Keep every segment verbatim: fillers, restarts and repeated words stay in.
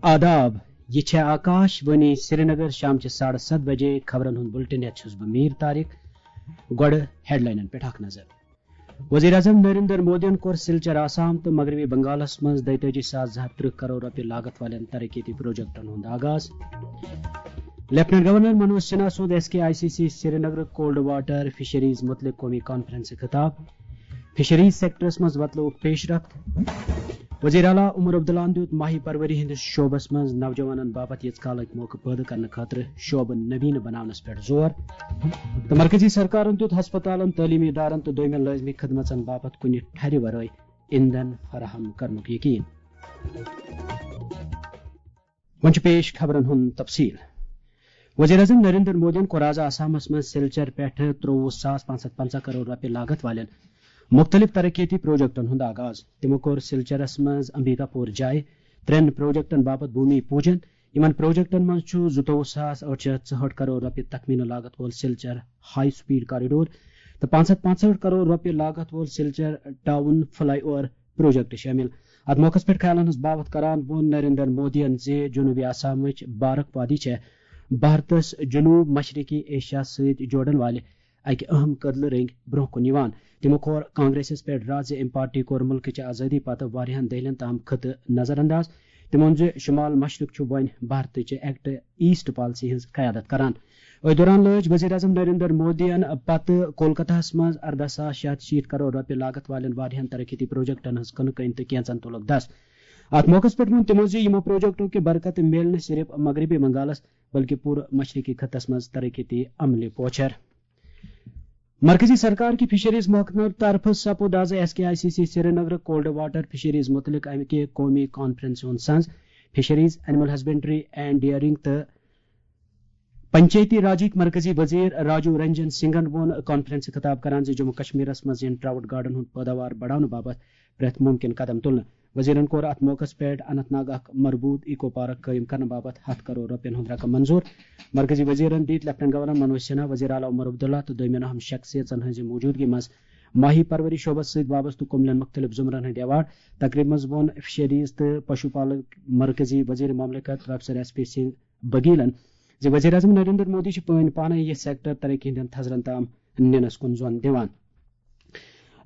آداب، یہِ چھےٚ آکاش وانی سرینگر۔ شام چہِ ساڑٕ ستھ بجے خبرن ہُنٛد بُلٹن ہٮ۪تھ چھُس بہٕ میٖر طارق۔ گۄڈٕ ہیڈلاینن پٮ۪ٹھ اکھ نظر۔ وزیر اعظم نریندر مودیَن کوٚر سلچر آسام تہٕ مغربی بنگالس منٛز دۄیتٲجی ساس زٕ ہتھ ترٕہ کرور رۄپیہِ لاگت والٮ۪ن ترقیتی پروجیکٹن ہُنٛد آغاز۔ لیفٹننٹ گورنر منوج سنہا سُنٛد S K I C C Srinagar cold water fisheries متعلق قومی کانفرنسہِ خطاب۔ فشریز سیکٹرس منٛز وتلووُکھ پیش رفت۔ وزیر اعلیٰ عمر عبداللہَن دیُت ماہی پروری ہٕنٛدِس شعبس منٛز نوجوانن باپتھ یِژھ کالٕکۍ موقعہٕ پٲدٕ کرنہٕ خٲطرٕ شعبہٕ نویٖنہٕ بناونس پٮ۪ٹھ زور۔ تہٕ مرکزی سرکارن دیُت ہسپتالن، تعلیمی ادارن تہٕ دویمٮ۪ن لٲزمی خدمژن باپتھ کُنہِ ٹھرِ ورٲے ایندھن فراہم کرنُک یقین۔ وۄنۍ چھُ پیش خبرن ہُنٛد تفصیل۔ وزیر اعظم نریندر مودیَن کوٚر آز آسامس منٛز سلچر پٮ۪ٹھٕ ترٛووُہ ساس پانٛژھ ہتھ پنٛژاہ کرور رۄپیہِ لاگت والٮ۪ن مُختٔلِف ترقیتی پروجیکٹن ہُنٛد آغاز۔ تِمو کوٚر سلچرس منٛز امبیکاپور جایہِ ترٛٮ۪ن پروجیکٹن باپتھ بھومی پوجن۔ یِمن پروجیکٹن منٛز چھُ زٕتووُہ ساس ٲٹھ شیٚتھ ژُہٲٹھ کرور رۄپیہِ تخمینہٕ لاگت وول سلچر ہائی سپیڈ کوریڈور تہٕ پانٛژھ ہتھ پانٛژہٲٹھ کرور رۄپیہِ لاگت وول Silchar town fly over project شٲمِل۔ اتھ موقعس پٮ۪ٹھ خیالن ہٕنٛز باوتھ کران ووٚن نریندر مودیَن زِ جنوبی آسامٕچ بارک وادی چھےٚ بھارتس جنوب مشرقی ایشیا سۭتۍ جوڑن والہِ اکہِ اہم کدلہٕ رٔنگۍ برونٛہہ کُن یِوان۔ تِمو کوٚر کانگریسس پٮ۪ٹھ راز زِ أمۍ پارٹی کوٚر مُلکٕچ آزٲدی پتہٕ واریاہن دٔہلین تام خطہٕ نظر انداز۔ تِمو ووٚن زِ شمال مشرق چھُ وۄنۍ بھارتٕچ ایکٹ ایسٹ پالیسی ہٕنٛز قیادت کران۔ أتھۍ دوران لٲج وزیر اعظم نریندر مودیَن پتہٕ کولکتہس منٛز ارداہ ساس شیٚے ہتھ شیٖتھ کرور رۄپیہِ لاگت والٮ۪ن واریاہن ترقیتی پروجیکٹن ہٕنٛز کٕنہٕ کٔنۍ تہٕ کینژن تُلُکھ دس۔ اتھ موقعس پٮ۪ٹھ ووٚن تِمو زِ یِمو پروجیکٹو کہِ برکتہٕ میلہِ نہٕ صرف مغربی بنگالس، بلکہِ پوٗرٕ مشرقی خطس منٛز ترقیتی عملہِ پوچھر۔ مرکزی سرکار کہِ فشریز محکمہٕ طرفہٕ سپُد آز S K I C C Srinagar cold water fisheries متعلق امہِ کہِ قومی کانفرنسہِ ہُنٛد سنز۔ Fisheries, animal husbandry and dairying تہٕ پنچایتی راجٕکۍ مرکزی وزیر راجو رنجن سنگھن ووٚن کانفرنسہِ خطاب کران زِ جموں کشمیرس منٛز یِن ٹراؤٹ گاڈن ہُنٛد پٲداوار بڑاونہٕ باپتھ پرٛٮ۪تھ مُمکِن قدم تُلنہٕ۔ وزیرن کوٚر اتھ موقعس پٮ۪ٹھ اننت ناگ اکھ مربوط ایکو پارک قٲیِم کرنہٕ باپتھ ہتھ کرور رۄپین ہُنٛد رقم منظور۔ مرکزی وزیرن دِتۍ لیفٹننٹ گورنر منوج سنہا، وزیر اعلیٰ عمر عبداللہ تہٕ دویمٮ۪ن اہم شخصیژن ہٕنٛزِ موجودگی منٛز ماہی پروری شعبس سۭتۍ وابستہٕ کُملٮ۪ن مُختٔلِف زمرن ہٕنٛدۍ ایوارڈ۔ تقریبہِ منٛز ووٚن فشریز تہٕ پشو پالک مرکزی وزیر مملکت پروفیسر ایس پی سنگھ بگیلن زِ وزیر اعظم نریندر مودی چھُ پٲنۍ پانے یہِ سیکٹر ترقی ہٕنٛدٮ۪ن تھزرن تام نِنس کُن زۄن دِوان۔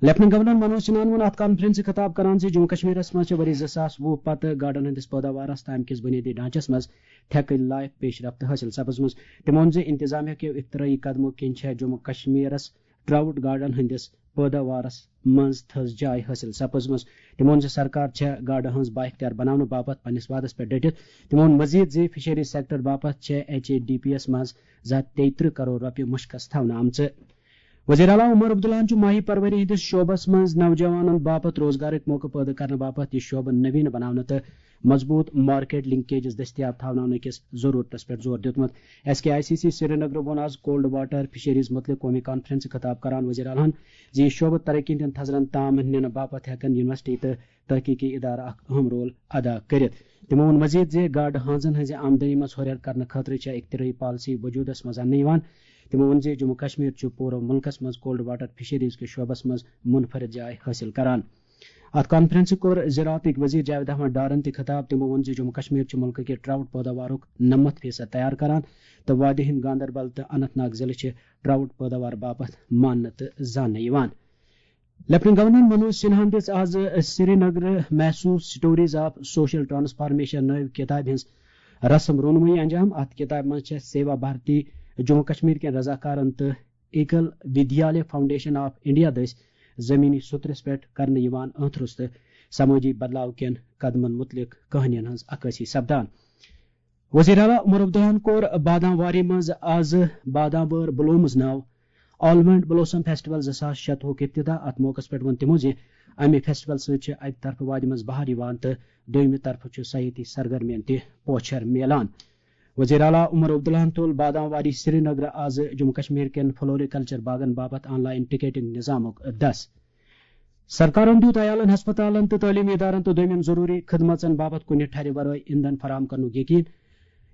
لیفٹننٹ گورنر منوج سنہاہن ووٚن اتھ کانفرنسہِ خطاب کران زِ جموں کشمیرس منٛز چھِ ؤری زٕ ساس وُہ پتہٕ گاڈن ہٕنٛدِس پٲداوارس تہٕ امہِ کِس بُنیٲدی ڈھانچس منٛز تھٮ۪کٕنۍ لایق پیش رفت حٲصِل سپٕزمٕژ۔ تٔمۍ ووٚن زِ انتظامیہ کیو اختراعی قدمو کِنۍ چھےٚ جموں کشمیرس ٹراؤٹ گاڈن ہٕنٛدِس پٲداوارس منٛز تھٔز جاے حٲصِل سپٕزمٕژ۔ تٔمۍ ووٚن زِ سرکار چھےٚ گاڈٕ ہٕنٛز بااختیار بناونہٕ باپتھ پننِس وعدس پٮ۪ٹھ ڈٔٹِتھ۔ تٔمۍ ووٚن مزید زِ فشریز سیکٹر باپتھ چھےٚ ایچ اے ڈی پی یس منٛز زٕ ہتھ تیٚیہِ ترٕہ کرور رۄپیہِ مُشکس تھاونہٕ آمژٕ۔ وزیر اعلیٰ عمر عبداللہن چھُ ماہی پروری ہٕنٛدِس شعبس منٛز نوجوانن باپتھ روزگارٕکۍ موقعہٕ پٲدٕ کرنہٕ باپتھ یہِ شعبہٕ نویٖنہٕ بناونہٕ تہٕ مضبوط مارکیٹ لنکیجز دٔستیاب تھاوناونہٕ کِس ضرورتس پٮ۪ٹھ زور دیُتمُت۔ S K I C C Srinagar ووٚن آز کولڈ واٹر فشریز متعلق قومی کانفرنسہِ خطاب کران وزیر اعلیٰ ہن زِ یہِ شعبہٕ ترقی ہٕنٛدٮ۪ن تھزرن تام نِنہٕ باپتھ ہٮ۪کن یونیورسٹی تہٕ تحقیقی ادارٕ اکھ اہم رول ادا کٔرِتھ۔ تِمو ووٚن مزید زِ گاڈٕ ہٲنزن ہٕنٛزِ آمدنی منٛز ہُرٮ۪ر کرنہٕ خٲطرٕ چھےٚ اختراعی پالیسی وجودس منٛز اننہٕ یِوان۔ تِمو ووٚن زِ جموں کشمیر چھُ پوٗرٕ مُلکس منٛز کولڈ واٹر فشریز کِس شعبس منٛز منفرد جاے حٲصِل کران۔ اتھ کانفرنسہِ کوٚر زراعتٕکۍ وزیر جاوید احمد ڈارن تہِ خطاب۔ تِمو ووٚن زِ جموں کشمیر چھُ مُلکہٕ کہِ ٹراؤٹ پٲداوارُک نَمَتھ فیصد تیار کران تہٕ وادی ہٕنٛدۍ گاندربل تہٕ اننت ناگ ضلعہٕ چھِ ٹراؤٹ پٲداوار باپتھ ماننہٕ تہٕ زاننہٕ یِوان۔ لیفٹننٹ گورنر منوج سنہاہن دِژ آز سرینگر محسوس سٹوریز آف سوشل ٹرانسفارمیشن نٲوۍ کتابہِ ہٕنٛز رسم رونمٲیی انجام۔ اتھ کتابہِ منٛز چھےٚ سیوا بھارتی جموں کشمیر کٮ۪ن رضاکارن تہٕ equal Vidyalaya foundation of India دٔسۍ زمینی سترس پٮ۪ٹھ کرنہٕ یِوان اہترُس تہٕ سمٲجی بدلاو کٮ۪ن قدمن متعلق کہانین ہٕنٛز عکٲسی سپدان۔ وزیر اعلیٰ عمر عبداللہن کوٚر بادام واری منٛز آز بادام وٲر بلومز ناو آلمنڈ بلوسم فیسٹیول زٕ ساس شتوُہُک افتتاح۔ اتھ موقعس پٮ۪ٹھ ووٚن تِمو زِ امہِ فیسٹیول سۭتۍ چھِ اکہِ طرفہٕ وادِ منٛز بہار یِوان تہٕ دوٚیمہِ طرفہٕ چھُ سیاحتی سرگرمین تہِ پوچھر میلان۔ وزیر اعلیٰ عمر عبداللہن تُل بادام واری سرینگر آز جموں کشمیر کٮ۪ن فلوریکلچر باغن باپتھ آن لائن ٹکیٹنگ نظامُک دس۔ سرکارن دیُت عیالن، ہسپتالن تہٕ تعلیمی ادارن تہٕ دویمٮ۪ن ضروری خدمژن باپتھ کُنہِ ٹھرِ ورٲے ایندھن فراہم کرنُک یقین۔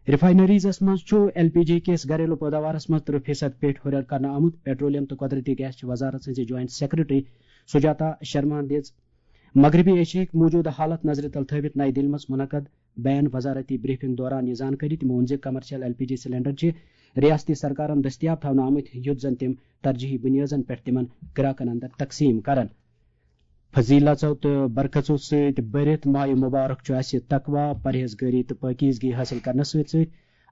ریفائنریزس منٛز چھُ ایل پی جی کِس گھریلو پٲداوارس منٛز ترٕہ فیصد پیٹھ ہُرٮ۪ر کرنہٕ آمُت۔ پیٹرولیم تہٕ قۄدرتی گیس چہِ وزارت سٕنٛزِ جوائنٹ سیکرٹری سجاتا شرماہن دِژ مغربی ایشیاہٕکۍ موجودٕ حالت نظرِ تل تھٲوِتھ نَیہِ دِلہِ منٛز منعقد بین وزارتی بریفنگ دوران یہِ زانکٲری۔ تِمو ووٚن زِ commercial L P G cylinder چھِ ریاستی سرکارن دٔستیاب تھاونہٕ آمٕتۍ، یُتھ زن تِم ترجیحی بنیادن پٮ۪ٹھ تِمن گراکن اندر تقسیٖم کرن۔ فضیلژو تہٕ برکژو سۭتۍ بٔرِتھ ماہِ مبارک چھُ اَسہِ تقویٰ، پرہیزگٲری تہٕ پٲکیزگی حٲصِل کرنس سۭتۍ سۭتۍ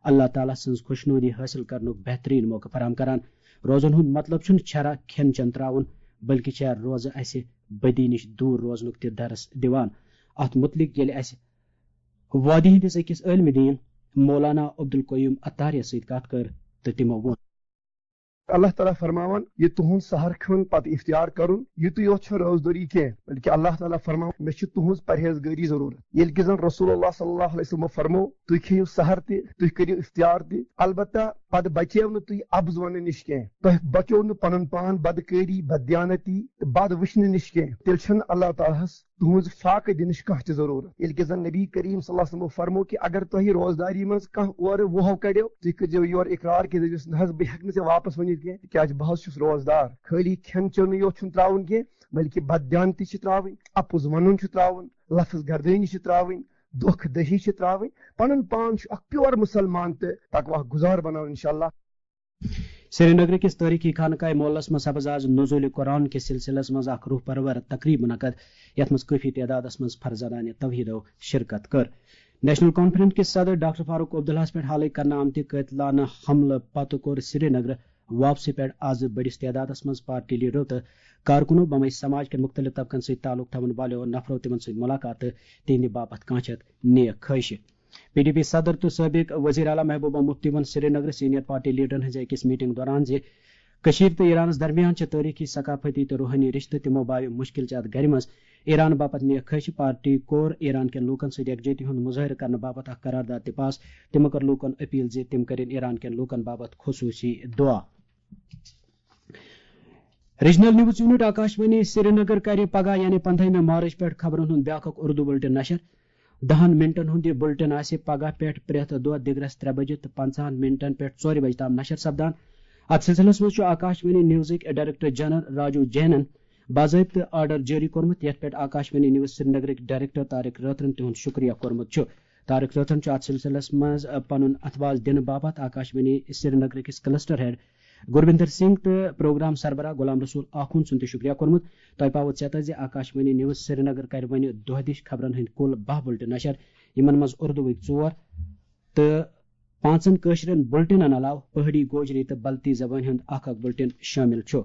اللہ تعالیٰ سٕنٛز خۄشنودی حٲصِل کرنُک بہتریٖن موقعہٕ فراہم کران۔ روزن ہُنٛد مطلب چھُنہٕ چھرا کھٮ۪ن چٮ۪ن ترٛاوُن، بلکہِ چھےٚ روزٕ اَسہِ بدی نِش دوٗر روزنُک تہِ درس دِوان۔ اَتھ مُتعلِق ییٚلہِ اَسہِ وادی ہٕنٛدِس أکِس عٲلمِ دیٖن مولانا عبدالقیوم عطاریَس سۭتۍ کَتھ کٔر تہٕ تِمو ووٚن۔ اللہ تعالیٰ فرماوان، یہِ تُہُنٛد سحر کھیوٚن پتہٕ افطار کرُن، یِتُے یوت چھُنہٕ روزدٲری کینٛہہ، بلکہِ اللہ تعالیٰ فرماوان، مےٚ چھِ تُہٕنٛز پرہیزگٲری ضروٗرت۔ ییٚلہِ کہِ زن رسول اللہ صلی اللہ علیہ وسلمو فرموو، تُہۍ کھیٚیِو سحر تہِ، تُہۍ کٔرِو افطار تہِ، البتہ پتہٕ بچیو نہٕ تُہۍ اپُز وننہٕ نِش کینٛہہ، تۄہہِ بچیو نہٕ پنُن پان بدکٲری، بددیانتی تہٕ بد وٕچھنہٕ نِش کینٛہہ، تیٚلہِ چھُنہٕ اللہ تعالیٰ ہس تُہٕنٛز فاقہٕ دِنٕچ کانٛہہ تہِ ضروٗرت۔ ییٚلہِ کہِ زن نبی کریم صلی اللہ علیہ وسلمو فرموو کہِ اگر تۄہہِ روزداری منٛز کانٛہہ اورٕ وُہو کڑیو، تُہۍ کٔرۍزیو یورٕ اقرار کہِ دٔپۍزیوس، نہ حظ، بہٕ ہٮ۪کہٕ نہٕ ژےٚ واپس ؤنِتھ کینٛہہ، تِکیازِ بہٕ حظ چھُس روزدار۔ خٲلی کھٮ۪ن چٮ۪نٕے یوت چھُنہٕ ترٛاوُن کینٛہہ، بلکہِ بددیانتی چھِ ترٛاوٕنۍ، اپُز ونُن چھُ ترٛاوُن، لفظ گردٲنی چھِ ترٛاوٕنۍ، دھوکہٕ دٔہی چھِ ترٛاوٕنۍ، پنُن پان چھُ اکھ پیور مسلمان تہٕ تقویٰ گزار بناوُن، انشاءاللہ۔ سرینگرٕ کِس تٲریٖخی خانقاہ معلیٰ ہَس منٛز سپٕز آز نزول قرآن کِس سلسلس منٛز اکھ روح پرور تقریٖب منعقد، یَتھ منٛز کٲفی تعدادس منٛز فرزانانِ توحیٖدو شرکت کٔر۔ نیشنل کانفرنس کِس صدر ڈاکٹر فاروق عبداللہَس پٮ۪ٹھ حالٕے کرنہٕ آمتہِ قٲتلانہٕ حملہٕ پتہٕ کوٚر سرینگرٕ واپسی پٮ۪ٹھ آز بٔڑِس تعدادس منٛز پارٹی لیڈرو تہٕ کارکنو بمے سماج کٮ۪ن مُختٔلِف طبقن سۭتۍ تعلق تھاوَن والٮ۪و نفرو تِمن سۭتۍ مُلاقات تہٕ تِہنٛدِ باپتھ کانٛہہ چھَتھ نیک خٲہشہِ۔ پی ڈی پی صدر تہٕ سٲبق وزیر اعلیٰ محبوبہ مفتی ووٚن سرینگرٕ سینئر پارٹی لیڈرن ہٕنٛزِ أکِس میٹنگ دوران زِ کٔشیٖر تہٕ ایرانس درمیان چھِ تٲریٖخی، ثقافتی تہٕ روحٲنی رشتہٕ، تِمو باوِ مُشکِل چھِ اتھ گرِ منٛز ایران باپتھ نیک خٲہشہِ۔ پارٹی کوٚر ایران کٮ۪ن لوٗکن سۭتۍ یکجہتی ہُنٛد مظٲہرٕ کرنہٕ باپتھ اکھ قرارداد تہِ پاس۔ تِمو کٔر لوٗکن اپیل زِ تِم کٔرِن ایران کٮ۪ن لوٗکن باپتھ خصوٗصی دُعا۔ Regional news unit Akashvani Srinagar کرِ پگاہ یعنی پندہمہِ مارچ پٮ۪ٹھ خبرن ہُنٛد بیٛاکھ اکھ اردو بلٹن نشر۔ دہن منٹن ہُنٛد یہِ بلٹن آسہِ پگاہ پٮ۪ٹھ پرٛٮ۪تھ دۄہ دِگرس ترٛےٚ بجہِ تہٕ پنٛژاہن منٹن پٮ۪ٹھ ژورِ بجہِ تام نشر سپدان۔ اتھ سلسلس منٛز چھُ آکاشوانی نیوزٕکۍ ڈائریکٹر جنرل راجو جینن باضٲبطہٕ آرڈر جٲری کوٚرمُت، یتھ پٮ۪ٹھ آکاشوانی نیوز سرینگرٕکۍ ڈائریکٹر طارق رٲتھرن تِہُنٛد شُکریہ کوٚرمُت چھُ۔ طارق رٲتھرن چھُ اتھ سلسلس منٛز، آ، پنُن اتھواز دِنہٕ باپتھ آکاشوانی سرینگرٕکِس کلسٹر ہیڈ گرویندر سنگھ تہٕ پروگرام سربراہ غلام رسول آخوند سُنٛد تہِ شُکریہ کوٚرمُت۔ تۄہہِ پاوو ژیتس زِ آکاشوانی نیوز سرینگر کرِ وۄنۍ دۄہ دِش خبرن ہٕنٛدۍ کُل باہ بلٹن نشر، یِمن منٛز اردوٗوٕکۍ ژور تہٕ پانٛژن کٲشرٮ۪ن بلٹنن علاوٕ پہٲڑی، گوجری تہٕ بلتی زبٲنۍ ہُنٛد اکھ اکھ بلٹن شٲمِل چھُ۔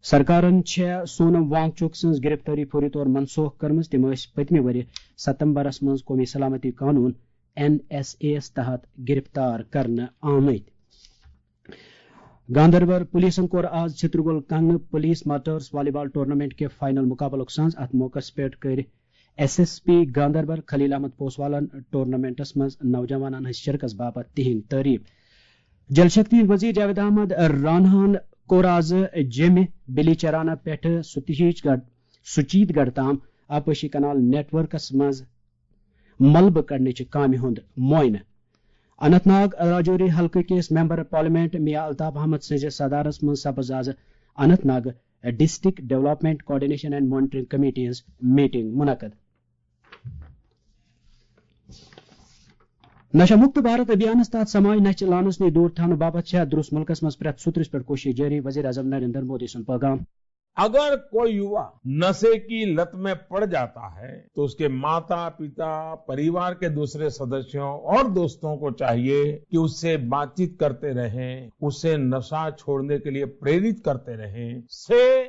سرکارن چھےٚ سونم وانگ چوک سٕنٛز گرفتٲری فوری طور منسوخ کٔرمٕژ۔ تِم ٲسۍ پٔتمہِ ؤرۍ ستمبرس منٛز قومی سلامتی قانون، این ایس اے یَس تحت گرفتار کرنہٕ آمٕتۍ۔ گاندربل پولیسن کوٚر آز چھترگول کنگنہٕ پولیس ماسٹرز والی بال ٹورنامنٹ کہِ فائنل مقابلُک سنز۔ اتھ موقعس پٮ۪ٹھ کٔرۍ ایس ایس پی گاندربل خلیل احمد پوسوالن ٹورنامنٹس منٛز نوجوانن ہٕنٛز شرکت باپتھ تِہنٛد تعریف۔ جل شکتی وزیر جاوید احمد راناہن کوٚر آز جیمہِ بلی چرانہ پٮ۪ٹھٕ ستیش گڑھ، سچیت گڑھ تام آبپاشی کنال نیٹ ورکس منٛز ملبہٕ کڑنٕچہِ کامہِ ہُنٛد معائنہٕ۔ اننت ناگ راجوری حلقہٕ کِس ممبر پارلیمنٹ میاں الطاف احمد سٕنٛزِ صدارتس منٛز سپٕز آز Anantnag district development coordination and monitoring committee ہٕنٛز میٹنگ منعقد۔ نشہ مکت بھارت ابھیانس تحت سماج نشہ چہ لانس نش دور تھاونہٕ باپتھ چھےٚ درست ملکس منٛز پرٛٮ۪تھ سُہ ترٛس پٮ۪ٹھ کوٗشش جٲری، وزیر اعظم نریندر مودی سُنٛد پیغام۔ اگر कोई युवा नशे की लत में पड़ जाता है, तो उसके माता, पिता, परिवार के दूसरे सदस्यों और दोस्तों को चाहिए कि उससे बातचीत करते रहें, उसे नशा छोड़ने के लिए प्रेरित करते रहें। Say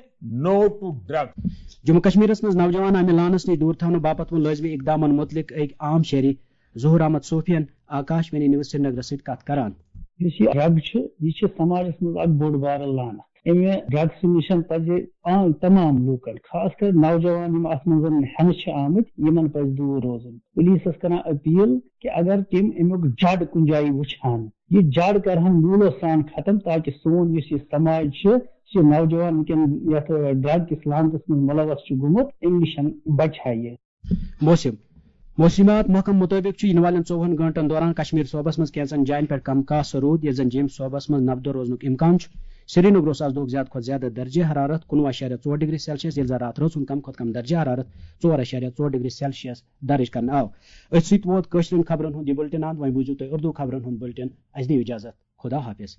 no to drugs. Jammu کشمیرس منٛز نوجوان امہِ لانس نش دور تھاونہٕ باپتھ ووٚن لٲزمی اقدامن متعلق أکۍ عام شہری ظہور احمد صوفین آکاشوانی نیوز سرینگرس سۭتۍ کتھ کران۔ یُس یہِ ڈرگ چھُ، یہِ چھُ سماجس منٛز اکھ بوٚڑ بارٕ لعنت۔ امہِ ڈرگس نِش پزِ عام تمام لوٗکن، خاص کر نوجوان یِم اتھ منٛز ہٮ۪نہٕ چھِ آمٕتۍ، یِمن پزِ دوٗر روزُن۔ پولیسس کران اپیل کہِ اگر تِم امیُک جڑ کُنہِ جایہِ وٕچھِ ہن، یہِ جڑ کرہن موٗلو سان ختم، تاکہِ سون یُس یہِ سماج چھُ، یُس یہِ نوجوان وٕنکیٚن یتھ ڈرگ کِس لعنتس منٛز ملوث چھُ گوٚمُت، امہِ نِش بچہِ ہا یہِ۔ موسم۔ موسمیات محکمہٕ مُطٲبِق چھُ یِنہٕ والٮ۪ن ژوٚوُہن گٲنٛٹن دوران کشمیر صوبس منٛز کینٛژن جاین پٮ۪ٹھ کم کاسہٕ روٗد، ییٚلہِ زن جیٚمۍ صوبس منٛز نبدو روزنُک امکان چھُ۔ سرینگرس آز دۄہُک زیادٕ کھۄتہٕ زیادٕ درجہ حرارت کُنوُہ اَشاریہ ژور ڈگری سیلسیس، ییٚلہِ زن راتھ رٲژ ہُنٛد کم کھۄتہٕ کم درجہ حرارت ژور اَشاریہ ژور ڈگری سیلسیس درج کرنہٕ آو۔ أتھۍ سۭتۍ ووت کٲشرٮ۪ن خبرن ہُنٛد یہِ بُلٹن اند۔ وۄنۍ بوٗزِو تُہۍ اردو خبرن ہُنٛد بُلٹن۔ اسہِ دِیِو اجازت۔ خدا حافظ۔